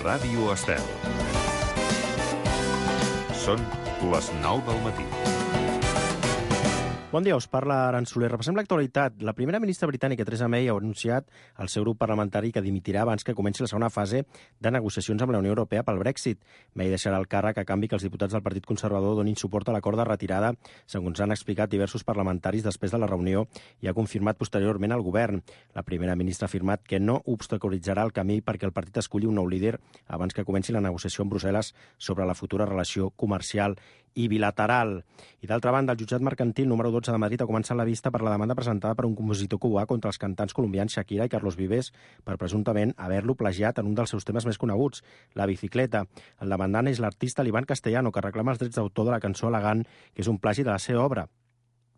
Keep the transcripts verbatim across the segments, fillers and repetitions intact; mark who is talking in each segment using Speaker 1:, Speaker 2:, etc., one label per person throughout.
Speaker 1: Ràdio Estel. Són les nou del matí.
Speaker 2: Bon dia, us parla Aran Soler. Repassem l'actualitat. La primera ministra britànica, Theresa May, ha anunciat al seu grup parlamentari que dimitirà abans que comenci la segona fase de negociacions amb la Unió Europea pel Brexit. May deixarà el càrrec a canvi que els diputats del Partit Conservador donin suport a l'acord de retirada, segons han explicat diversos parlamentaris després de la reunió i ha confirmat posteriorment el govern. La primera ministra ha afirmat que no obstaculitzarà el camí perquè el partit esculli un nou líder abans que comenci la negociació amb Brussel·les sobre la futura relació comercial i bilateral. I d'altra banda, el jutjat mercantil número dotze de Madrid ha començat la vista per la demanda presentada per un compositor cubà contra els cantants colombians Shakira i Carlos Vives per presumptament haver-lo plagiat en un dels seus temes més coneguts, la bicicleta. El demandant és l'artista Iván Castellano, que reclama els drets d'autor de la cançó al·legant que és un plagi de la seva obra.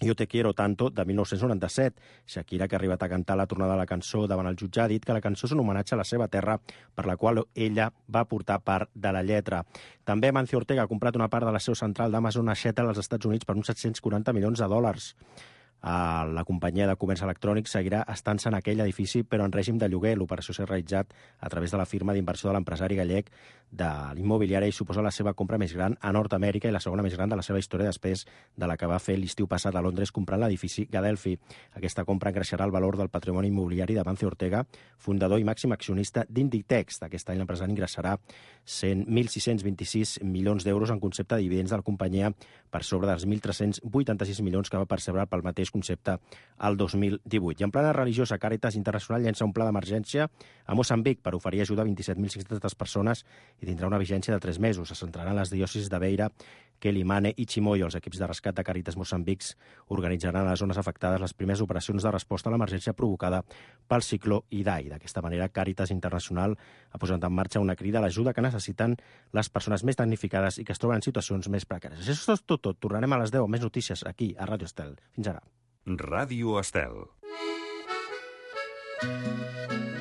Speaker 2: Yo te quiero tanto, de mil nou-cents noranta-set. Shakira, que ha arribat a cantar la tornada de la cançó davant el jutge, ha dit que la cançó és un homenatge a la seva terra, per la qual ella va portar part de la lletra. També Amancio Ortega ha comprat una part de la seu central d'Amazon a Seattle, als Estats Units, per uns set-cents quaranta milions de dòlars. La companyia de comerç electrònic seguirà estant-se en aquell edifici, però en règim de lloguer. L'operació s'ha realitzat a través de la firma d'inversió de l'empresari gallec de l'immobiliària i suposa la seva compra més gran a Nord-Amèrica i la segona més gran de la seva història després de la que va fer l'estiu passat a Londres comprant l'edifici Gadelphi. Aquesta compra engreixarà el valor del patrimoni immobiliari d'Amancio Ortega, fundador i màxim accionista d'Inditex. Aquest any l'empresari ingressarà mil sis-cents vint-i-sis milions d'euros en concepte de dividends de la companyia per sobre dels mil tres-cents vuitanta-sis milions que va percebre pel mateix concepte al dos mil divuit. I en plana religiosa, Càritas Internacional llença un pla d'emergència a Moçambic per oferir ajuda a vint-i-set mil cinc-centes persones i tindrà una vigència de tres mesos. Se centrarà en les diòcesis de Beira, Quelimane i Chimoio. Els equips de rescat de Càritas Moçambic organitzaran a les zones afectades les primeres operacions de resposta a l'emergència provocada pel cicló Idai. D'aquesta manera, Càritas Internacional ha posat en marxa una crida a l'ajuda que necessiten les persones més damnificades i que es troben en situacions més precàries. Això és tot, tot. Tornarem a les deu amb més notícies aquí, a Ràdio Estel. Fins ara.
Speaker 1: Ràdio Estel.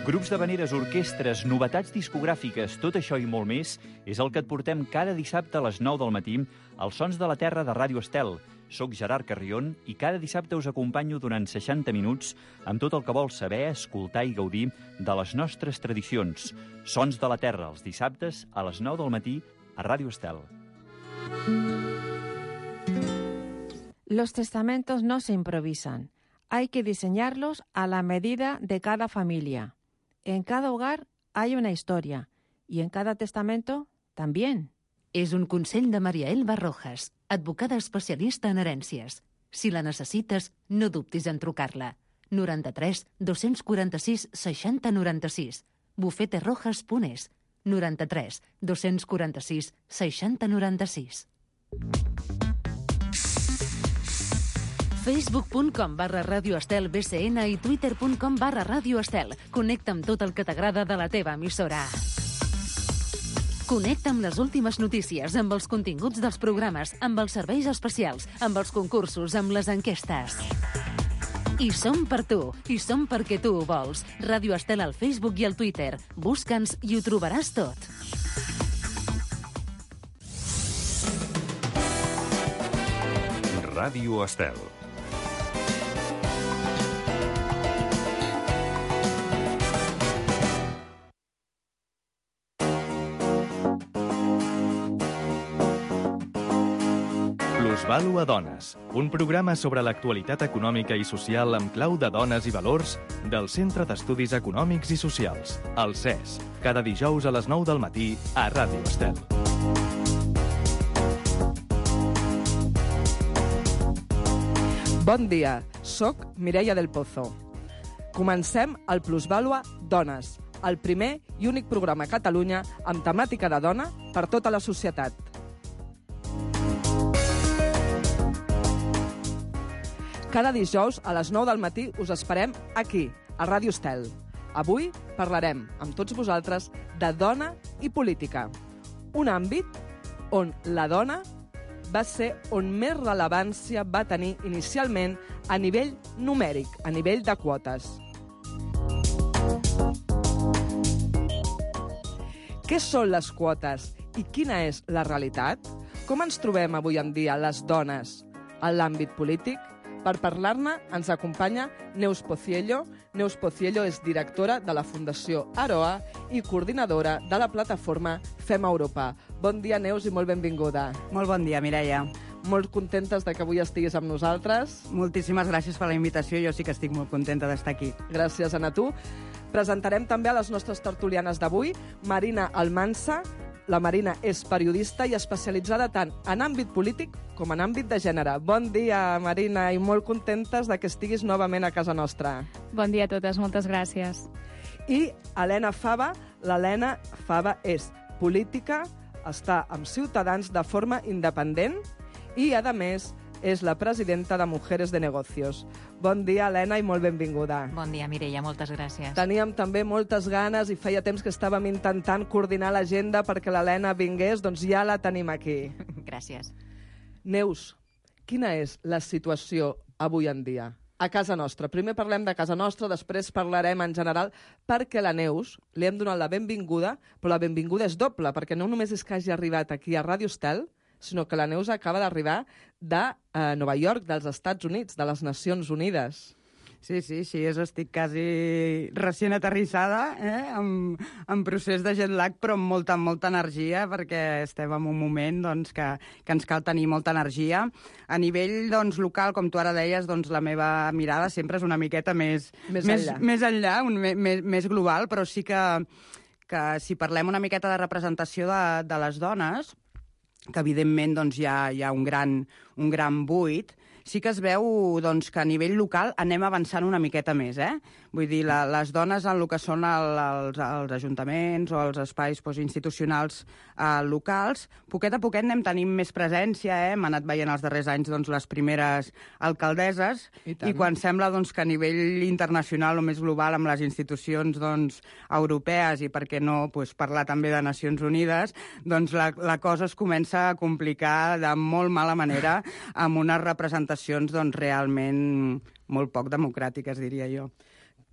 Speaker 3: Grups d'havaneres, orquestres, novetats discogràfiques, tot això i molt més és el que et portem cada dissabte a les nou del matí als Sons de la Terra de Ràdio Estel. Soc Gerard Carrion i cada dissabte us acompanyo durant seixanta minuts amb tot el que vols saber, escoltar i gaudir de les nostres tradicions. Sons de la Terra, els dissabtes a les nou del matí a Ràdio Estel.
Speaker 4: Los testamentos no se improvisan. Hay que diseñarlos a la medida de cada familia. En cada hogar hay una historia y en cada testamento también.
Speaker 5: És un consell de Maria Elba Rojas, advocada especialista en herències. Si la necessites, no dubtis en trucar-la. noranta-tres dos-cents quaranta-sis seixanta noranta-sis. bufete rojas punt es. noranta-tres dos-cents quaranta-sis seixanta noranta-sis. facebook punt com barra Ràdio Estel B C N i twitter punt com barra Ràdio Estel. Connecta amb tot el que t'agrada de la teva emissora. Connecta amb les últimes notícies, amb els continguts dels programes, amb els serveis especials, amb els concursos, amb les enquestes. I som per tu, i som perquè tu ho vols. Ràdio Estel al Facebook i al Twitter. Busca'ns i ho trobaràs tot.
Speaker 1: Ràdio Estel.
Speaker 6: Plusvàlua Dones, un programa sobre l'actualitat econòmica i social amb clau de dones i valors del Centre d'Estudis Econòmics i Socials, el C E S, cada dijous a les nou del matí a Ràdio Estel.
Speaker 7: Bon dia, soc Mireia del Pozo. Comencem el Plusvàlua Dones, el primer i únic programa a Catalunya amb temàtica de dona per tota la societat. Cada dijous a les nou del matí us esperem aquí, a Ràdio Estel. Avui parlarem amb tots vosaltres de dona i política, un àmbit on la dona va ser on més rellevància va tenir inicialment a nivell numèric, a nivell de quotes. Què són les quotes i quina és la realitat? Com ens trobem avui en dia les dones en l'àmbit polític? Per parlar-ne ens acompanya Neus Pociello. Neus Pociello és directora de la Fundació Aroa i coordinadora de la plataforma Fem Europa. Bon dia, Neus, i molt benvinguda.
Speaker 8: Molt bon dia, Mireia.
Speaker 7: Molt contentes de que avui estiguis amb nosaltres.
Speaker 8: Moltíssimes gràcies per la invitació. Jo sí que estic molt contenta d'estar aquí.
Speaker 7: Gràcies, Anna, tu. Presentarem també a les nostres tertulianes d'avui Marina Almansa. La Marina és periodista i especialitzada tant en àmbit polític com en àmbit de gènere. Bon dia, Marina, i molt contentes de que estiguis novament a casa nostra.
Speaker 9: Bon dia a totes, moltes gràcies.
Speaker 7: I Helena Fava. L'Helena Fava és política, està amb Ciutadans de forma independent i, a més, és la presidenta de Mujeres de Negocios. Bon dia, Helena, i molt benvinguda.
Speaker 10: Bon dia, Mireia, moltes gràcies.
Speaker 7: Teníem també moltes ganes i feia temps que estàvem intentant coordinar l'agenda perquè l'Helena vingués, doncs ja la tenim aquí.
Speaker 10: Gràcies.
Speaker 7: Neus, quina és la situació avui en dia a casa nostra? Primer parlem de casa nostra, després parlarem en general, perquè la Neus li hem donat la benvinguda, però la benvinguda és doble, perquè no només és que hagi arribat aquí a Ràdio Estel, sinó que la Neus acaba d'arribar de eh, Nova York, dels Estats Units, de les Nacions Unides.
Speaker 8: Sí, sí, sí, és, estic quasi recient aterrissada, eh? en, en procés de jet lag, però amb molta, molta energia, perquè estem en un moment doncs, que, que ens cal tenir molta energia. A nivell doncs, local, com tu ara deies, doncs, la meva mirada sempre és una miqueta més,
Speaker 7: més
Speaker 8: més
Speaker 7: enllà,
Speaker 8: més, enllà un, més, més global, però sí que, que si parlem una miqueta de representació de, de les dones, que evidentment doncs, hi, ha, hi ha un gran, un gran buit, sí que es veu doncs, que a nivell local anem avançant una miqueta més. Eh? Vull dir, la, les dones en el que són el, els, els ajuntaments o els espais doncs, institucionals eh, locals, poquet a poquet anem tenint més presència, eh? Hem anat veient els darrers anys doncs, les primeres alcaldesses, i, i quan sembla doncs, que a nivell internacional o més global amb les institucions doncs, europees i, per què no, doncs, parlar també de Nacions Unides, doncs la, la cosa es comença a complicar de molt mala manera amb unes representacions doncs, realment molt poc democràtiques, diria jo.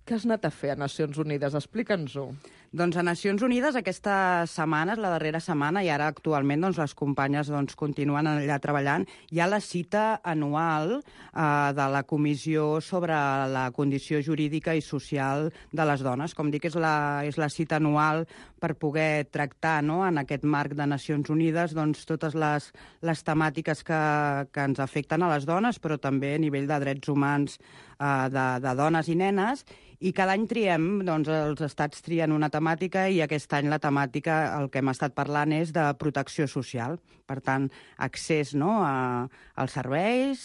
Speaker 7: Què has anat a fer a Nacions Unides? Explica'ns-ho.
Speaker 8: Doncs a Nacions Unides aquesta setmana, la darrera setmana, i ara actualment doncs, les companyes doncs, continuen allà treballant, hi ha la cita anual eh, de la Comissió sobre la condició jurídica i social de les dones. Com dic, és la, és la cita anual per poder tractar no, en aquest marc de Nacions Unides doncs, totes les, les temàtiques que, que ens afecten a les dones, però també a nivell de drets humans eh, de, de dones i nenes, i cada any triem, doncs els estats trien una temàtica i aquest any la temàtica, el que hem estat parlant, és de protecció social. Per tant, accés no, a, als serveis,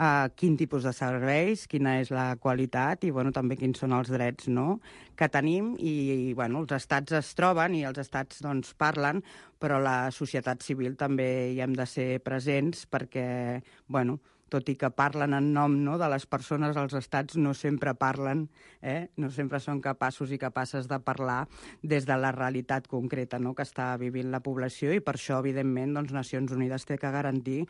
Speaker 8: a quin tipus de serveis, quina és la qualitat i bueno, també quins són els drets no, que tenim. I, i bueno, els estats es troben i els estats doncs, parlen, però la societat civil també hi hem de ser presents perquè, bueno, tot i que parlen en nom no, de les persones, els estats no sempre parlen, eh? no sempre són capaços i capaces de parlar des de la realitat concreta no, que està vivint la població, i per això, evidentment, doncs, Nacions Unides té que garantir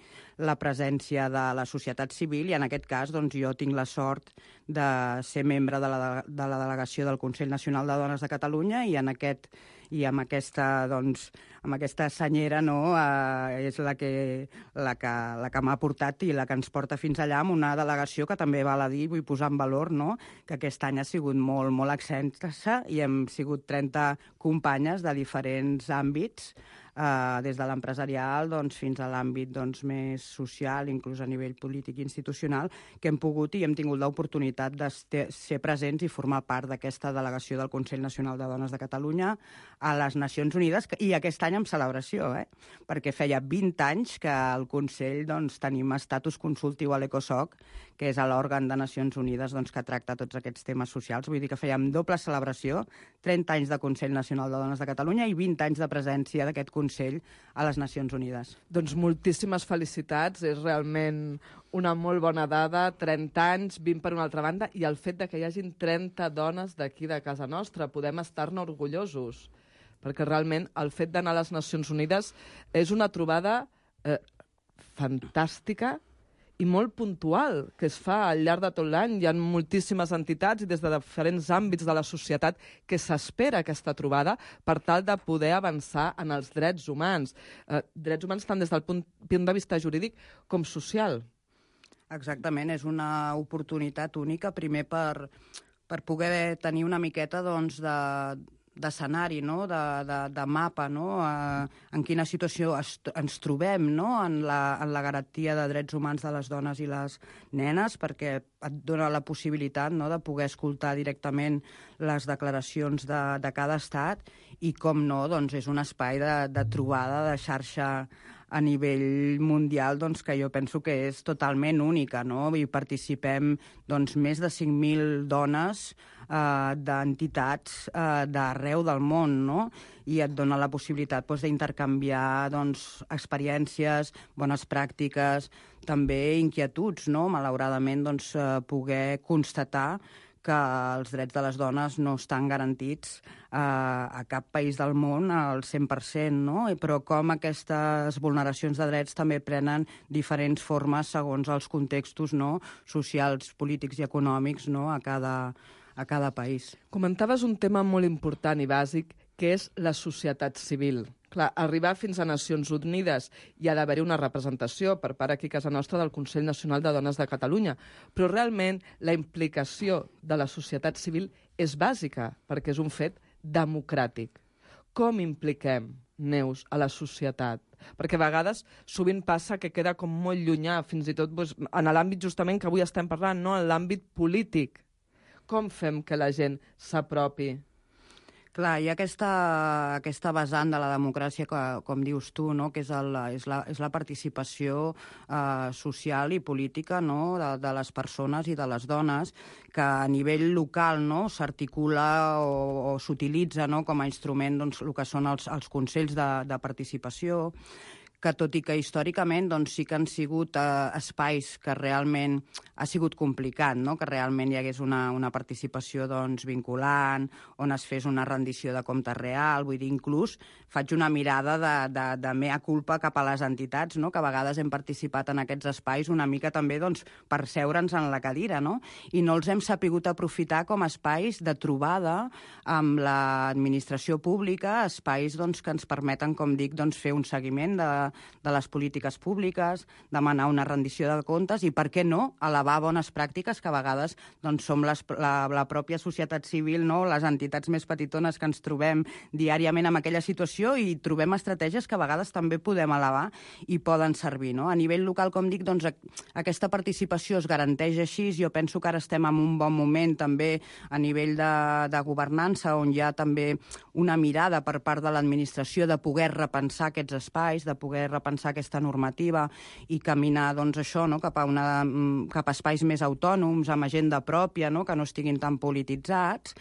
Speaker 8: la presència de la societat civil, i en aquest cas doncs, jo tinc la sort de ser membre de la, de la delegació del Consell Nacional de Dones de Catalunya, i en aquest i amb aquesta, doncs, amb aquesta senyera no, eh, és la que, la que, la que m'ha portat i la que ens porta fins allà, amb una delegació que també val a dir, vull posar en valor, no, que aquest any ha sigut molt, molt extensa i hem sigut trenta companyes de diferents àmbits, Uh, des de l'empresarial doncs, fins a l'àmbit doncs, més social, inclús a nivell polític i institucional, que hem pogut i hem tingut l'oportunitat de ser presents i formar part d'aquesta delegació del Consell Nacional de Dones de Catalunya a les Nacions Unides, i aquest any amb celebració, eh? perquè feia vint anys que al Consell doncs, tenim estatus consultiu a l'ECOSOC, que és l'òrgan de Nacions Unides doncs, que tracta tots aquests temes socials. Vull dir que fèiem doble celebració, trenta anys de Consell Nacional de Dones de Catalunya i vint anys de presència d'aquest Consell a les Nacions Unides.
Speaker 7: Doncs moltíssimes felicitats, és realment una molt bona dada, trenta anys, vint per una altra banda, i el fet de que hi hagin trenta dones d'aquí de casa nostra, podem estar-ne orgullosos, perquè realment el fet d'anar a les Nacions Unides és una trobada eh, fantàstica i molt puntual, que es fa al llarg de tot l'any. Hi ha moltíssimes entitats i des de diferents àmbits de la societat que s'espera aquesta trobada per tal de poder avançar en els drets humans. Eh, drets humans tant des del punt, punt de vista jurídic com social.
Speaker 8: Exactament, és una oportunitat única, primer per, per poder tenir una miqueta doncs, de, d'escenari, no? de, de, de mapa, no? eh, en quina situació es, ens trobem, no? en, la, en la garantia de drets humans de les dones i les nenes, perquè et dona la possibilitat, no? de poder escoltar directament les declaracions de, de cada estat i, com no, doncs és un espai de, de trobada, de xarxa a nivell mundial, doncs, que jo penso que és totalment única, no? I participem doncs, més de cinc mil dones eh, d'entitats eh, d'arreu del món, no? I et dona la possibilitat doncs, d'intercanviar doncs, experiències, bones pràctiques, també inquietuds, no? Malauradament, doncs, eh, poder constatar que els drets de les dones no estan garantits eh, a cap país del món al cent per cent, no? Però com aquestes vulneracions de drets també prenen diferents formes segons els contextos, no? Socials, polítics i econòmics, no? a, cada, a cada país.
Speaker 7: Comentaves un tema molt important i bàsic, que és la societat civil. Clar, arribar fins a Nacions Unides hi ha d'haver-hi una representació per part aquí a casa nostra del Consell Nacional de Dones de Catalunya, però realment la implicació de la societat civil és bàsica, perquè és un fet democràtic. Com impliquem, Neus, a la societat? Perquè a vegades sovint passa que queda com molt llunyà, fins i tot doncs, en l'àmbit justament que avui estem parlant, no? En l'àmbit polític. Com fem que la gent s'apropi?
Speaker 8: Clar, hi ha aquesta, aquesta vessant de la democràcia, que, com dius tu, no? que és, el, és, la, és la participació eh, social i política, no? de, de les persones i de les dones, que a nivell local, no? s'articula o, o s'utilitza, no? com a instrument, doncs, el que són els, els consells de, de participació, que tot i que històricament doncs, sí que han sigut eh, espais que realment ha sigut complicat, no? que realment hi hagués una, una participació doncs, vinculant, on es fes una rendició de compte real, vull dir, inclús faig una mirada de, de, de mea culpa cap a les entitats, no? que a vegades hem participat en aquests espais una mica també doncs, per seure'ns en la cadira, no? i no els hem sapigut aprofitar com a espais de trobada amb l'administració pública, espais doncs, que ens permeten, com dic, doncs, fer un seguiment de de les polítiques públiques, demanar una rendició de comptes i, per què no, elevar bones pràctiques que a vegades doncs, som les, la, la pròpia societat civil, no? les entitats més petitones que ens trobem diàriament en aquella situació i trobem estratègies que a vegades també podem elevar i poden servir. No? A nivell local, com dic, doncs, aquesta participació es garanteix així. Jo penso que ara estem en un bon moment també a nivell de, de governança, on hi ha també una mirada per part de l'administració de poder repensar aquests espais, de poder repensar aquesta normativa i caminar doncs, això, no? cap, a una, cap a espais més autònoms, amb agenda pròpia, no? que no estiguin tan polititzats.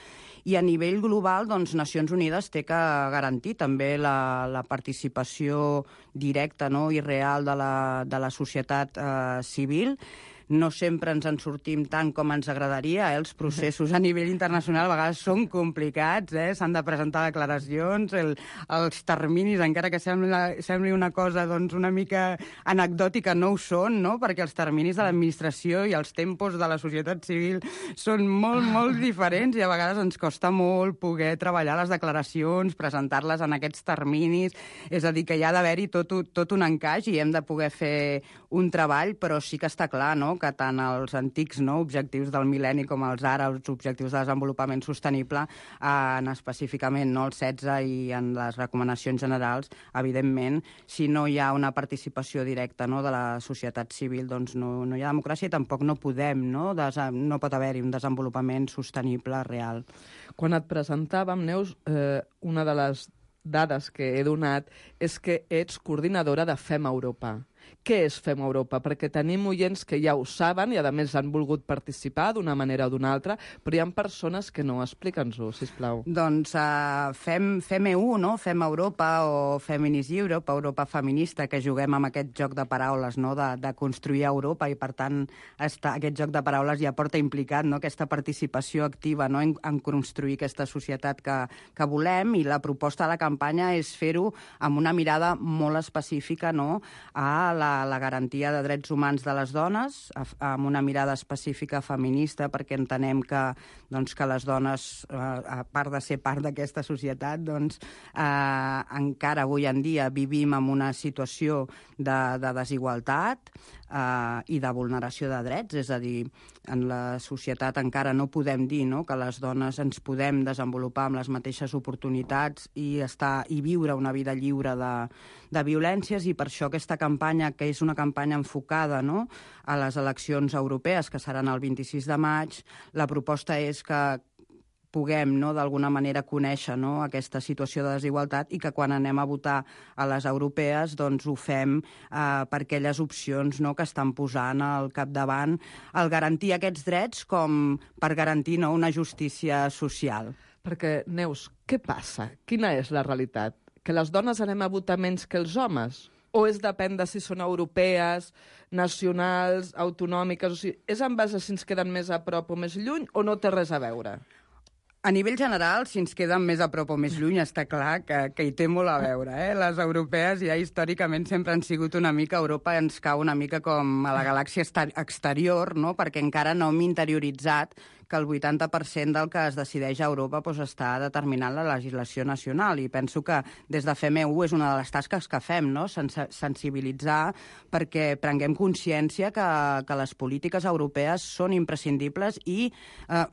Speaker 8: I a nivell global, doncs, Nacions Unides té que garantir també la, la participació directa, no? i real de la, de la societat eh, civil. No sempre ens en sortim tant com ens agradaria. Eh? Els processos a nivell internacional a vegades són complicats, eh? s'han de presentar declaracions, el, els terminis, encara que sembli, sembli una cosa doncs, una mica anecdòtica, no ho són, no? perquè els terminis de l'administració i els tempos de la societat civil són molt, molt diferents i a vegades ens costa molt poder treballar les declaracions, presentar-les en aquests terminis. És a dir, que hi ha d'haver-hi tot, tot un encaix i hem de poder fer un treball, però sí que està clar, no?, que tant els antics no, objectius del mil·lenni com els ara, els objectius de desenvolupament sostenible, en específicament no, els setze i en les recomanacions generals, evidentment, si no hi ha una participació directa no, de la societat civil, doncs no, no hi ha democràcia i tampoc no podem, no, no pot haver-hi un desenvolupament sostenible real.
Speaker 7: Quan et presentàvem, Neus, eh, una de les dades que he donat és que ets coordinadora de Fem Europa. Què és Fem Europa? Perquè tenim oients que ja ho saben i, a més, han volgut participar d'una manera o d'una altra, però hi ha persones que no. Explica'ns-ho, sisplau.
Speaker 8: Doncs uh, Fem, Fem E U, no? Fem Europa o Feminist Europe, Europa feminista, que juguem amb aquest joc de paraules, no? de, de construir Europa i, per tant, està, aquest joc de paraules ja porta implicat no? aquesta participació activa no? en, en construir aquesta societat que, que volem, i la proposta de la campanya és fer-ho amb una mirada molt específica no? a la, la garantia de drets humans de les dones amb una mirada específica feminista, perquè entenem que, doncs, que les dones, eh, a part de ser part d'aquesta societat, doncs, eh, encara avui en dia vivim en una situació de, de desigualtat eh, i de vulneració de drets. És a dir, en la societat encara no podem dir, no?, que les dones ens podem desenvolupar amb les mateixes oportunitats i, estar, i viure una vida lliure de, de violències, i per això aquesta campanya, que és una campanya enfocada, no?, a les eleccions europees, que seran el vint-i-sis de maig, la proposta és que puguem, no?, d'alguna manera conèixer, no?, aquesta situació de desigualtat, i que quan anem a votar a les europees doncs ho fem eh, per aquelles opcions, no?, que estan posant al capdavant el garantir aquests drets com per garantir, no?, una justícia social.
Speaker 7: Perquè, Neus, què passa? Quina és la realitat? Que les dones anem a votar menys que els homes? O és depèn de si són europees, nacionals, autonòmiques? O sigui, és en base a si ens queden més a prop o més lluny, o no té res a veure?
Speaker 8: A nivell general, si ens queden més a prop o més lluny, està clar que, que hi té molt a veure. Eh? Les europees ja històricament sempre han sigut una mica... Europa ens cau una mica com a la galàxia exterior, no?, perquè encara no hem interioritzat que el vuitanta per cent del que es decideix a Europa doncs, està determinant la legislació nacional. I penso que des de F M U és una de les tasques que fem, no?, Sens- sensibilitzar perquè prenguem consciència que, que les polítiques europees són imprescindibles i... Eh,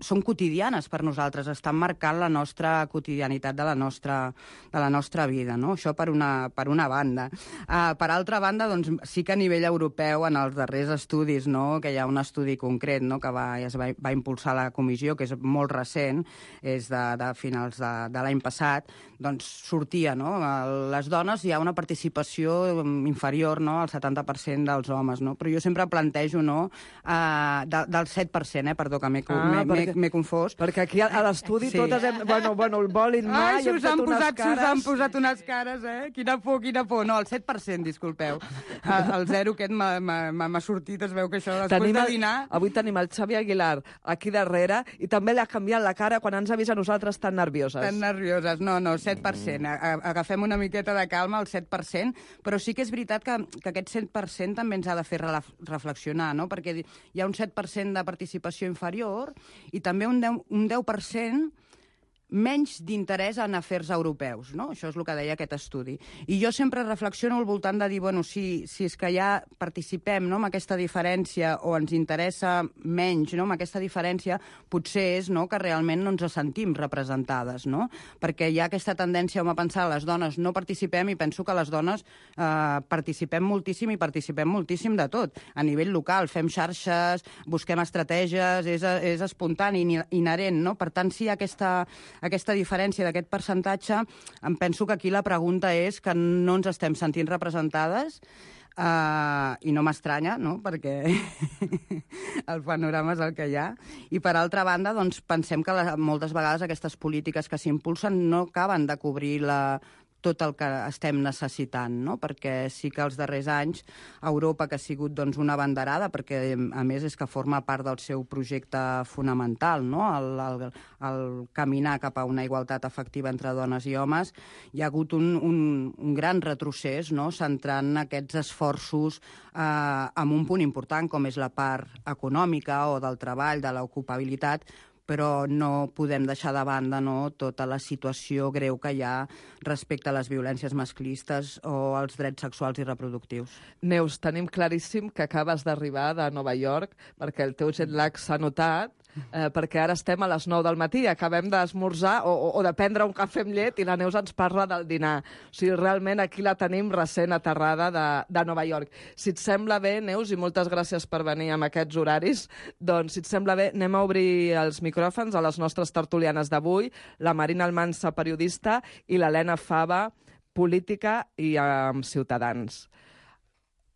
Speaker 8: són quotidianes per nosaltres, estan marcant la nostra quotidianitat de la nostra, de la nostra vida, no? Això per una, per una banda. Uh, per altra banda, doncs, sí que a nivell europeu, en els darrers estudis, no?, que hi ha un estudi concret, no?, que va, es va, va impulsar la comissió, que és molt recent, és de, de finals de, de l'any passat, doncs sortia, no?, les dones hi ha una participació inferior, no?, al setanta per cent dels homes, no? Però jo sempre plantejo, no?, uh, de, del set per cent, eh, perdó, que m'he
Speaker 7: Ah,
Speaker 8: perquè... m'he confós.
Speaker 7: Perquè aquí a l'estudi sí. totes hem... Bueno, bueno, el volin mà
Speaker 8: Ai,
Speaker 7: i hem fet unes
Speaker 8: posat,
Speaker 7: cares...
Speaker 8: Us han posat unes cares, eh? Quina por, quina por. No, el set per cent, disculpeu. El zero aquest m'ha sortit, es veu que això després
Speaker 7: tenim
Speaker 8: de
Speaker 7: el,
Speaker 8: dinar...
Speaker 7: Avui tenim el Xavi Aguilar aquí darrere i també li ha canviat la cara quan ens ha vist a nosaltres tan nervioses.
Speaker 8: Tan nervioses. No, no, set per cent. Agafem una miqueta de calma, el set per cent, però sí que és veritat que, que aquest set per cent també ens ha de fer reflexionar, no?, perquè hi ha un set per cent de participació inferior i també un deu, un deu per cent menys d'interès en afers europeus, no? Això és el que deia aquest estudi. I jo sempre reflexiono al voltant de dir, bueno, si, si és que ja participem, no?, amb aquesta diferència o ens interessa menys, no?, amb aquesta diferència, potser és, no?, que realment no ens sentim representades, no? Perquè hi ha aquesta tendència a pensar les dones no participem i penso que les dones eh, participem moltíssim i participem moltíssim de tot. A nivell local, fem xarxes, busquem estratègies, és, és espontani, inherent, no? Per tant, si hi ha aquesta aquesta diferència d'aquest percentatge, em penso que aquí la pregunta és que no ens estem sentint representades uh, i no m'estranya, no?, perquè el panorama és el que hi ha. I per altra banda, doncs, pensem que la, moltes vegades aquestes polítiques que s'impulsen no acaben de cobrir la tot el que estem necessitant, no? Perquè sí que els darrers anys Europa, que ha sigut doncs, una banderada, perquè a més és que forma part del seu projecte fonamental, no? el, el, el caminar cap a una igualtat efectiva entre dones i homes, hi ha hagut un, un, un gran retrocés, no? Centrant aquests esforços eh, en un punt important, com és la part econòmica o del treball, de l'ocupabilitat, però no podem deixar de banda, no?, tota la situació greu que hi ha respecte a les violències masclistes o als drets sexuals i reproductius.
Speaker 7: Neus, tenim claríssim que acabes d'arribar de Nova York perquè el teu jet lag s'ha notat, eh, perquè ara estem a les nou del matí, acabem d'esmorzar o, o, o de prendre un cafè amb llet i la Neus ens parla del dinar. O sigui, realment aquí la tenim recent aterrada de, de Nova York. Si et sembla bé, Neus, i moltes gràcies per venir amb aquests horaris, doncs, si et sembla bé, anem a obrir els micròfons a les nostres tertulianes d'avui, la Marina Almansa, periodista, i l'Helena Fava, política i amb um, Ciutadans.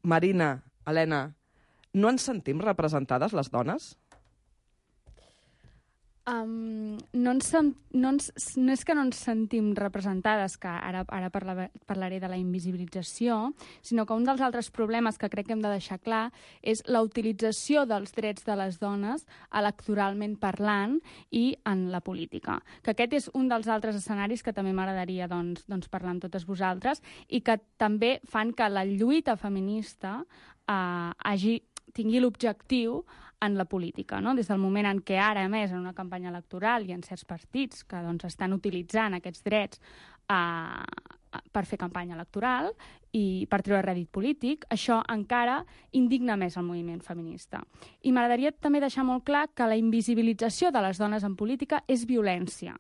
Speaker 7: Marina, Helena, no ens sentim representades les dones?
Speaker 9: Um, no, ens, no, ens, no és que no ens sentim representades, que ara, ara parla, parlaré de la invisibilització, sinó que un dels altres problemes que crec que hem de deixar clar és la utilització dels drets de les dones electoralment parlant i en la política. Que aquest és un dels altres escenaris que també m'agradaria doncs, doncs, parlar amb totes vosaltres i que també fan que la lluita feminista eh, hagi, tingui l'objectiu en la política, no? Des del moment en què ara, a més, en una campanya electoral i en certs partits que doncs, estan utilitzant aquests drets eh, per fer campanya electoral i per treure rèdit polític, això encara indigna més el moviment feminista. I m'agradaria també deixar molt clar que la invisibilització de les dones en política és violència.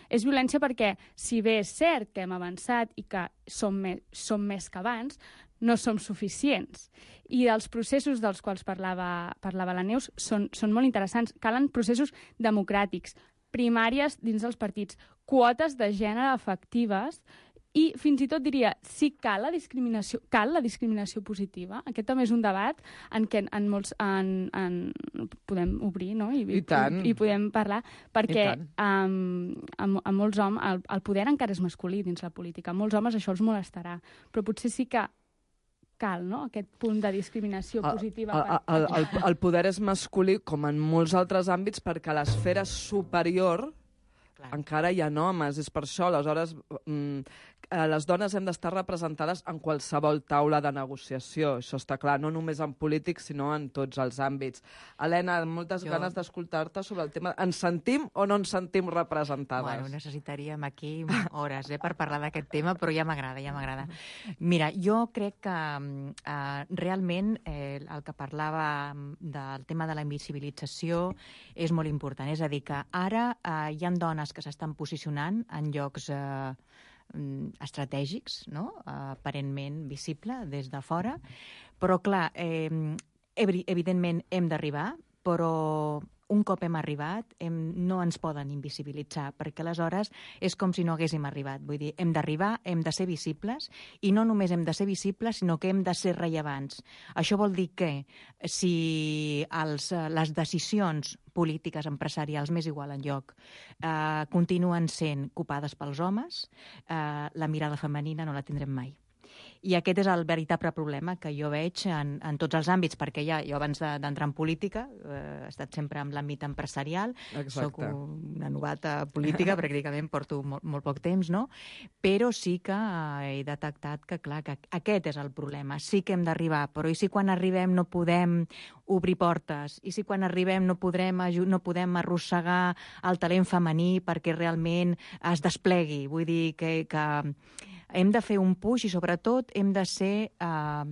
Speaker 9: És violència perquè, si bé és cert que hem avançat i que som més, som més que abans, no som suficients. I els processos dels quals parlava, parlava la Neus són, són molt interessants. Calen processos democràtics, primàries dins dels partits, quotes de gènere efectives i fins i tot diria, sí cal la discriminació, cal la discriminació positiva. Aquest també és un debat en què en molts en, en, podem obrir, no? I,
Speaker 7: I tant.
Speaker 9: I, i podem parlar, perquè um, a, a molts homes el, el poder encara és masculí dins la política. A molts homes això els molestarà, però potser sí que cal, no?, aquest punt de discriminació positiva.
Speaker 7: El, el, el, el, el poder és masculí, com en molts altres àmbits, perquè a l'esfera superior Clar. encara hi ha homes. És per això, aleshores, mm, les dones hem d'estar representades en qualsevol taula de negociació. Això està clar, no només en polític, sinó en tots els àmbits. Helena, moltes jo... ganes d'escoltar-te sobre el tema. Ens sentim o no ens sentim representades?
Speaker 10: Bueno, necessitaríem aquí hores eh, per parlar d'aquest tema, però ja m'agrada, ja m'agrada. Mira, jo crec que eh, realment eh, el que parlava del tema de la invisibilització és molt important. És a dir, que ara eh, hi ha dones que s'estan posicionant en llocs eh, estratègics, no? Aparentment visible des de fora, però clar, eh, evidentment hem d'arribar, però un cop hem arribat hem, no ens poden invisibilitzar, perquè aleshores és com si no haguéssim arribat. Vull dir, hem d'arribar, hem de ser visibles, i no només hem de ser visibles, sinó que hem de ser rellevants. Això vol dir que si els, les decisions polítiques, empresarials, m'és igual en lloc, eh, continuen sent copades pels homes, eh, la mirada femenina no la tindrem mai. I aquest és el veritable problema que jo veig en, en tots els àmbits, perquè ja, jo abans d'entrar en política eh, he estat sempre en l'àmbit empresarial. Exacte. Soc una novata política, pràcticament porto molt, molt poc temps, no? Però sí que eh, he detectat que, clar, que aquest és el problema. Sí que hem d'arribar, però i si quan arribem no podem obrir portes? I si quan arribem no podrem, no podem arrossegar el talent femení perquè realment es desplegui? Vull dir que... que hem de fer un push i, sobretot, hem de ser eh,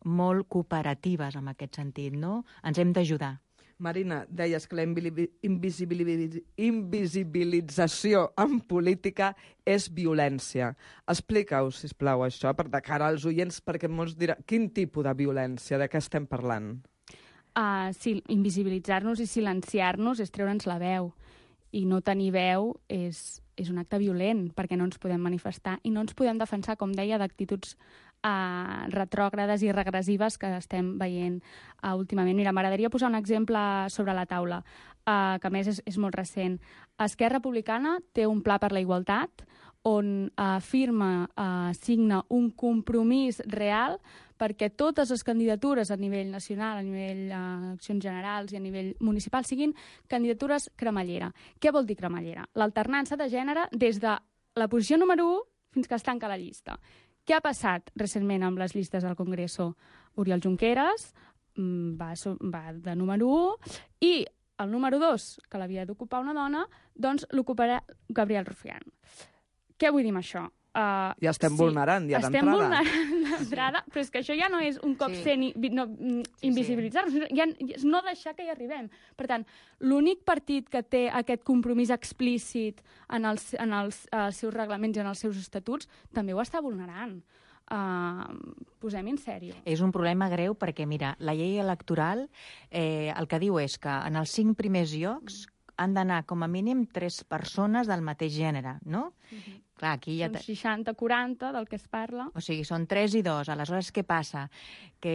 Speaker 10: molt cooperatives en aquest sentit, no? Ens hem d'ajudar.
Speaker 7: Marina, deies que la invisibilització en política és violència. Explica-ho, sisplau, això, per de cara als oients, perquè molts diran, quin tipus de violència, de què estem parlant?
Speaker 9: Uh, sí, invisibilitzar-nos i silenciar-nos és treure'ns la veu. I no tenir veu és, és un acte violent, perquè no ens podem manifestar i no ens podem defensar, com deia, d'actituds uh, retrògrades i regressives que estem veient uh, últimament. Mira, m'agradaria posar un exemple sobre la taula, uh, que a més és, és molt recent. Esquerra Republicana té un pla per la igualtat on uh, firma, uh, signa un compromís real perquè totes les candidatures a nivell nacional, a nivell d'accions uh, generals i a nivell municipal siguin candidatures cremallera. Què vol dir cremallera? L'alternança de gènere des de la posició número u fins que es tanca la llista. Què ha passat recentment amb les llistes del Congreso? Oriol Junqueras va, va de número u i el número dos, que l'havia d'ocupar una dona, doncs l'ocuparà Gabriel Rufián. Què vull dir amb això? Uh,
Speaker 7: ja estem sí, vulnerant, ja d'entrada.
Speaker 9: Estem vulnerant d'entrada, sí. Però és que això ja no és un cop sí. sent no, invisibilitzar-nos, sí, sí. ja, no deixar que hi arribem. Per tant, l'únic partit que té aquest compromís explícit en els, en els uh, seus reglaments i en els seus estatuts també ho està vulnerant. Uh, posem en sèrio.
Speaker 10: És un problema greu perquè, mira, la llei electoral eh, el que diu és que en els cinc primers llocs han d'anar com a mínim tres persones del mateix gènere, no?
Speaker 9: Uh-huh.
Speaker 10: Clar, aquí ja...
Speaker 9: Són seixanta quaranta del que es parla.
Speaker 10: O sigui, són tres i dos. Aleshores, què passa? Que,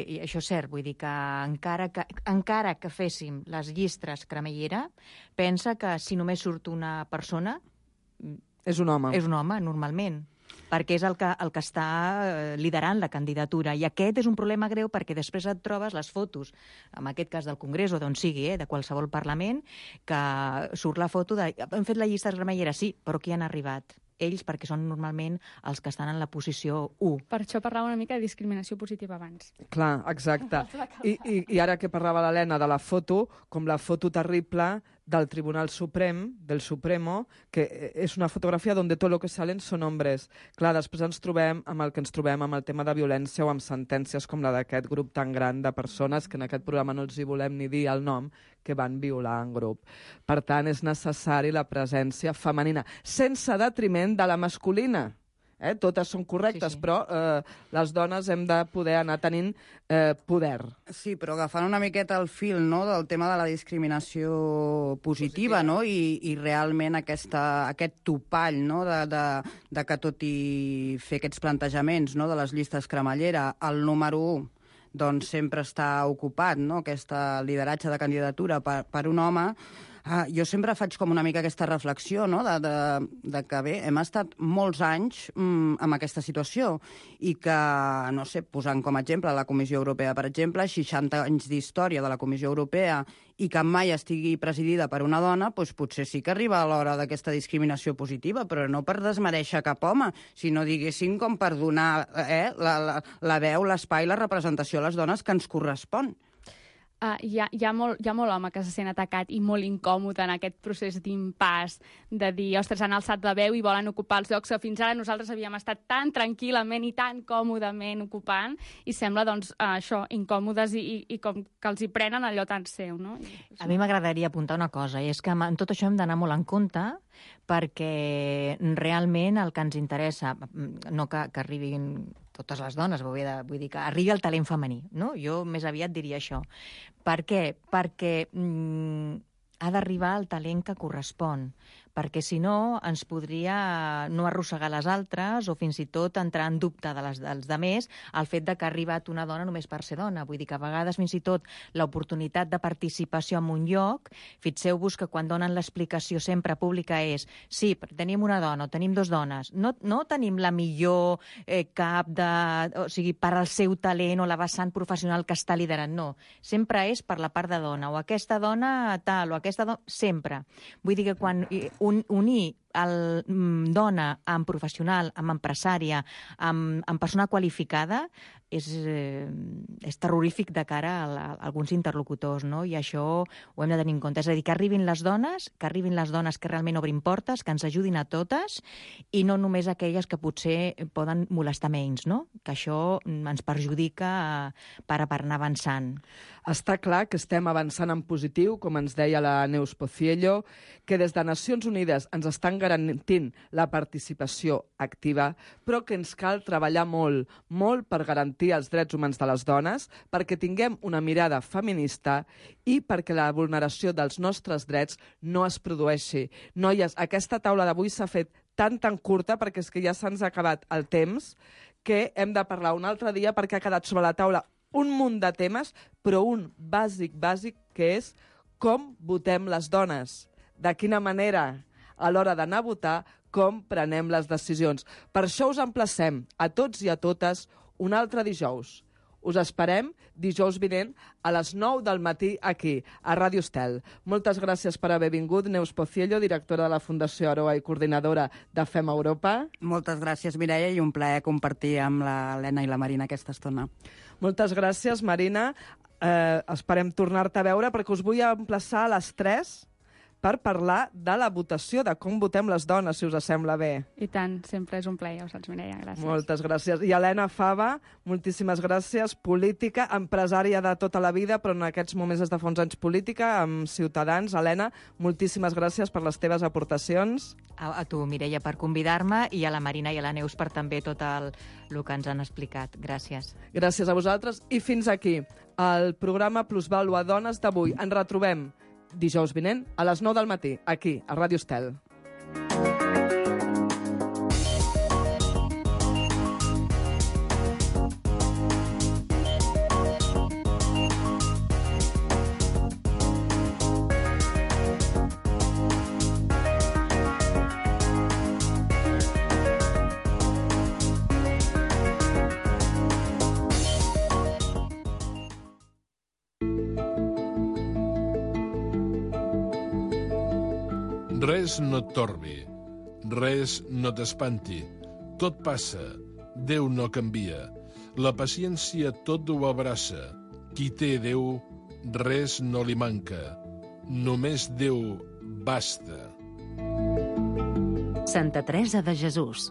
Speaker 10: i això és cert, vull dir que encara que, encara que féssim les llistes cremallera, pensa que si només surt una persona...
Speaker 7: És un home.
Speaker 10: És un home, normalment, perquè és el que, el que està liderant la candidatura. I aquest és un problema greu perquè després et trobes les fotos, en aquest cas del Congrés o d'on sigui, eh, de qualsevol Parlament, que surt la foto de... Hem fet la llista cremallera, sí, però qui han arribat? Ells, perquè són normalment els que estan en la posició u.
Speaker 9: Per això parlava una mica de discriminació positiva abans.
Speaker 7: Clar, exacte. I, i, i ara que parlava l'Helena de la foto, com la foto terrible del Tribunal Suprem, del Supremo, que és una fotografia on tot el que salen són hombres. Clar, després ens trobem amb el que ens trobem amb el tema de violència o amb sentències com la d'aquest grup tan gran de persones que en aquest programa no els hi volem ni dir el nom, que van violar en grup. Per tant, és necessari la presència femenina, sense detriment de la masculina. Eh? Totes són correctes, sí, sí. però eh, les dones hem de poder anar tenint eh, poder.
Speaker 8: Sí, però agafant una miqueta el fil, no?, del tema de la discriminació positiva, positiva. no?, I, i realment aquesta, aquest topall, no?, de, de, de que tot i fer aquests plantejaments, no?, de les llistes cremallera, el número u doncs sempre està ocupat, no?, aquest lideratge de candidatura per, per un home. Ah, jo sempre faig com una mica aquesta reflexió, no?, de, de, de que, bé, hem estat molts anys mm, amb aquesta situació i que, no sé, posant com a exemple la Comissió Europea, per exemple, seixanta anys d'història de la Comissió Europea i que mai estigui presidida per una dona, doncs potser sí que arriba a l'hora d'aquesta discriminació positiva, però no per desmereixer cap home, sinó, diguéssim, com per donar eh, la, la, la veu, l'espai, la representació a les dones que ens correspon.
Speaker 9: Uh, hi, ha, hi, ha molt, hi ha molt home que se sent atacat i molt incòmode en aquest procés d'impàs, de dir, ostres, han alçat la veu i volen ocupar els llocs que fins ara nosaltres havíem estat tan tranquil·lament i tan còmodament ocupant, i sembla, doncs, uh, això, incòmodes i, i, i com que els hi prenen allò tan seu, no? I,
Speaker 10: a mi m'agradaria apuntar una cosa, i és que en tot això hem d'anar molt en compte, perquè realment el que ens interessa, no que, que arribin totes les dones, vull dir que arribi el talent femení, no? Jo més aviat diria això. Per què? Perquè mm, ha d'arribar el talent que correspon, perquè si no ens podria no arrossegar les altres o fins i tot entrar en dubte de les, dels demés el fet de que ha arribat una dona només per ser dona. Vull dir que a vegades fins i tot l'oportunitat de participació en un lloc, fixeu-vos que quan donen l'explicació sempre pública és sí, tenim una dona o tenim dues dones, no, no tenim la millor eh, cap de... o sigui, per al seu talent o la vessant professional que està liderant, no. Sempre és per la part de dona, o aquesta dona tal, o aquesta dona... Sempre. Vull dir que quan un, unir el mm, dona amb professional, amb empresària, amb, amb persona qualificada, és, eh, és terrorífic de cara a, a, a alguns interlocutors, no? I això ho hem de tenir en compte. És a dir, que arribin les dones, que arribin les dones que realment obrin portes, que ens ajudin a totes, i no només aquelles que potser poden molestar menys, no? Que això ens perjudica per, per anar avançant.
Speaker 7: Està clar que estem avançant en positiu, com ens deia la Neus Pociello, que des de Nacions Unides ens estan garantint la participació activa, però que ens cal treballar molt, molt per garantir els drets humans de les dones, perquè tinguem una mirada feminista i perquè la vulneració dels nostres drets no es produeixi. Noies, aquesta taula d'avui s'ha fet tan, tan curta, perquè és que ja se'ns ha acabat el temps, que hem de parlar un altre dia perquè ha quedat sobre la taula un munt de temes, però un bàsic, bàsic, que és com votem les dones, de quina manera a l'hora d'anar a votar, com prenem les decisions. Per això us emplacem a tots i a totes un altre dijous. Us esperem dijous vinent a les nou del matí aquí, a Ràdio Estel. Moltes gràcies per haver vingut, Neus Pociello, directora de la Fundació Aroa i coordinadora de Fem Europa.
Speaker 8: Moltes gràcies, Mireia, i un plaer compartir amb l'Helena i la Marina aquesta estona.
Speaker 7: Moltes gràcies, Marina. Eh, esperem tornar-te a veure perquè us vull emplaçar a les tres per parlar de la votació, de com votem les dones, si us sembla bé.
Speaker 9: I tant, sempre és un plaer, ja ho saps, Mireia, gràcies.
Speaker 7: Moltes gràcies. I Helena Fava, moltíssimes gràcies, política, empresària de tota la vida, però en aquests moments des de fa uns anys política, amb Ciutadans. Helena, moltíssimes gràcies per les teves aportacions.
Speaker 10: A, a tu, Mireia, per convidar-me, i a la Marina i a la Neus per també tot el, el que ens han explicat. Gràcies.
Speaker 7: Gràcies a vosaltres. I fins aquí el programa Plusvàlua Dones d'avui. Ens retrobem dijous vinent a les nou del matí, aquí, a Ràdio Estel.
Speaker 11: Res no et torbi, res no t'espanti. Tot passa, Déu no canvia. La paciència tot ho abraça. Qui té Déu, res no li manca. Només Déu basta.
Speaker 5: Santa Teresa de Jesús.